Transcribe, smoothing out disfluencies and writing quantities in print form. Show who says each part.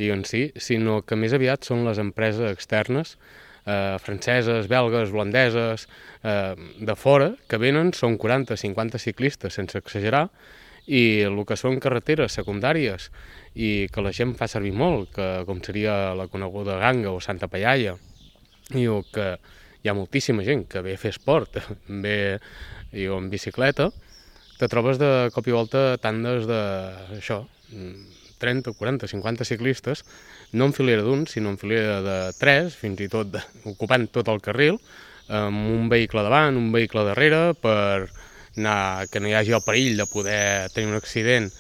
Speaker 1: en si, sinó que més aviat són les empreses externes, franceses, belgues, holandeses, de fora, que venen, són 40-50 ciclistes, sense exagerar, i el que són carreteres secundàries i que la gent fa servir molt, com seria la coneguda Ganga o Santa Pallaia, i que hi ha moltíssima gent que ve a fer esport, ve en bicicleta, te trobes de cop i volta tandes d'això, 30, 40, 50 ciclistes, no en filera d'un, sinó en filera de 3, fins i tot ocupant tot el carril, amb un vehicle davant, un vehicle darrere, per anar, que no hi hagi el perill de poder tenir un accident